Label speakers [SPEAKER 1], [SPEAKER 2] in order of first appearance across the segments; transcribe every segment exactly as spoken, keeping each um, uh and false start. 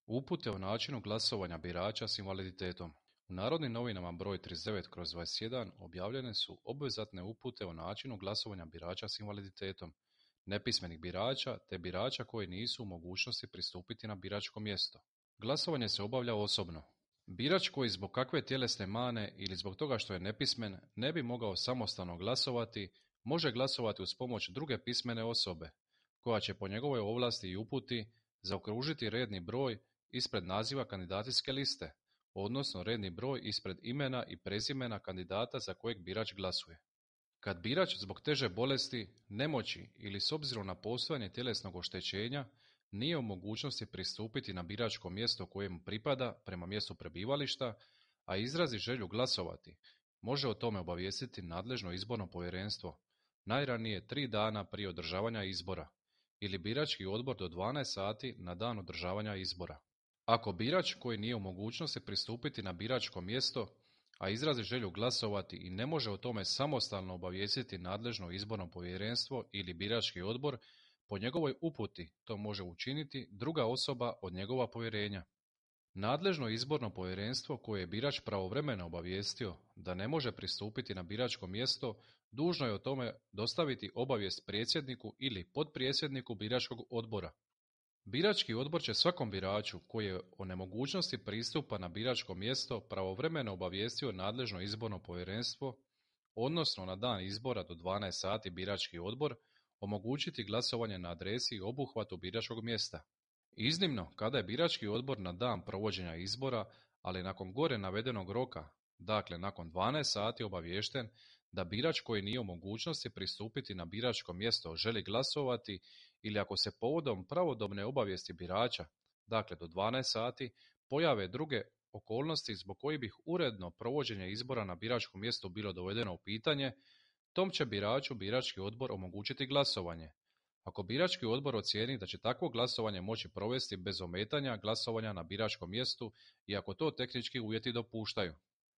[SPEAKER 1] Upute o načinu glasovanja birača s invaliditetom. U Narodnim novinama broj trideset devet kroz dvadeset jedan objavljene su obvezatne upute o načinu glasovanja birača s invaliditetom, nepismenih birača te birača koji nisu u mogućnosti pristupiti na biračko mjesto. Glasovanje se obavlja osobno. Birač koji zbog kakve tjelesne mane ili zbog toga što je nepismen ne bi mogao samostalno glasovati, može glasovati uz pomoć druge pismene osobe, koja će po njegovoj ovlasti i uputi zaokružiti redni broj ispred naziva kandidacijske liste, odnosno redni broj ispred imena i prezimena kandidata za kojeg birač glasuje. Kad birač zbog teže bolesti, nemoći ili s obzirom na postojanje tjelesnog oštećenja nije u mogućnosti pristupiti na biračko mjesto kojemu pripada prema mjestu prebivališta, a izrazi želju glasovati, može o tome obavijestiti nadležno izborno povjerenstvo najranije tri dana prije održavanja izbora ili birački odbor do dvanaest sati na dan održavanja izbora. Ako birač koji nije u mogućnosti pristupiti na biračko mjesto, a izrazi želju glasovati i ne može o tome samostalno obavijestiti nadležno izborno povjerenstvo ili birački odbor, po njegovoj uputi to može učiniti druga osoba od njegova povjerenja. Nadležno izborno povjerenstvo koje je birač pravovremeno obavijestio da ne može pristupiti na biračko mjesto, dužno je o tome dostaviti obavijest predsjedniku ili potpredsjedniku biračkog odbora. Birački odbor će svakom biraču koji je o nemogućnosti pristupa na biračko mjesto pravovremeno obavijestio nadležno izborno povjerenstvo, odnosno na dan izbora do dvanaest sati birački odbor, omogućiti glasovanje na adresi i obuhvatu biračkog mjesta. Iznimno, kada je birački odbor na dan provođenja izbora, ali nakon gore navedenog roka, dakle nakon dvanaest sati obaviješten da birač koji nije u mogućnosti pristupiti na biračko mjesto želi glasovati ili ako se povodom pravodobne obavijesti birača, dakle do dvanaest sati, pojave druge okolnosti zbog kojih bi uredno provođenje izbora na biračkom mjestu bilo dovedeno u pitanje, tom će biraču birački odbor omogućiti glasovanje. Ako birački odbor ocijeni da će takvo glasovanje moći provesti bez ometanja glasovanja na biračkom mjestu i ako to tehnički uvjeti dopuštaju.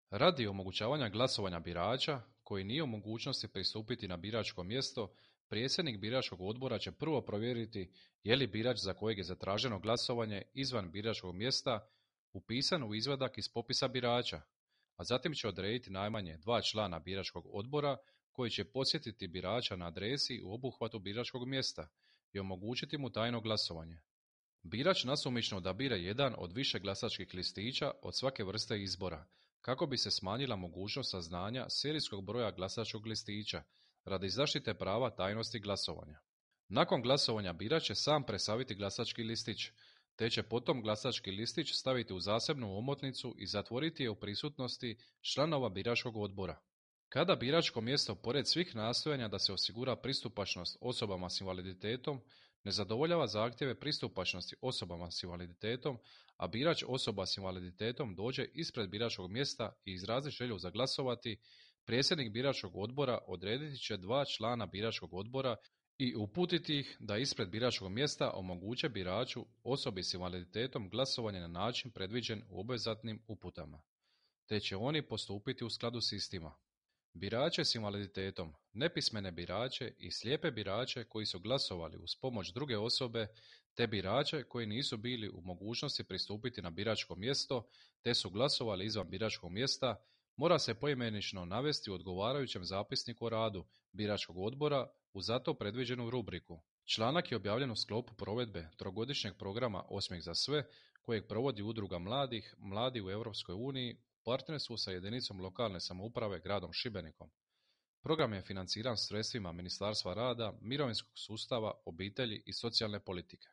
[SPEAKER 1] Radi omogućavanja glasovanja birača koji nije u mogućnosti pristupiti na biračko mjesto, predsjednik biračkog odbora će prvo provjeriti je li birač za kojeg je zatraženo glasovanje izvan biračkog mjesta upisan u izvadak iz popisa birača, a zatim će odrediti najmanje dva člana biračkog odbora koji će posjetiti birača na adresi u obuhvatu biračkog mjesta i omogućiti mu tajno glasovanje. Birač nasumično odabire jedan od više glasačkih listića od svake vrste izbora, kako bi se smanjila mogućnost saznanja serijskog broja glasačkog listića radi zaštite prava tajnosti glasovanja. Nakon glasovanja birač će sam presaviti glasački listić, te će potom glasački listić staviti u zasebnu omotnicu i zatvoriti je u prisutnosti članova biračkog odbora. Kada biračko mjesto, pored svih nastojanja da se osigura pristupačnost osobama s invaliditetom, ne zadovoljava zahtjeve pristupačnosti osobama s invaliditetom, a birač osoba s invaliditetom dođe ispred biračkog mjesta i izrazi želju za glasovati, predsjednik biračkog odbora odrediti će dva člana biračkog odbora i uputiti ih da ispred biračkog mjesta omoguće biraču osobi s invaliditetom glasovanje na način predviđen u obvezatnim uputama, te će oni postupiti u skladu s istima. Birače s invaliditetom, nepismene birače i slijepe birače koji su glasovali uz pomoć druge osobe, te birače koji nisu bili u mogućnosti pristupiti na biračko mjesto, te su glasovali izvan biračkog mjesta, mora se poimenično navesti u odgovarajućem zapisniku o radu biračkog odbora u za to predviđenu rubriku. Članak je objavljen u sklopu provedbe trogodišnjeg programa Osmijeh za sve, kojeg provodi Udruga mladih, Mladi u Europskoj uniji, u partnerstvu sa jedinicom lokalne samouprave gradom Šibenikom. Program je financiran sredstvima Ministarstva rada, mirovinskog sustava, obitelji i socijalne politike.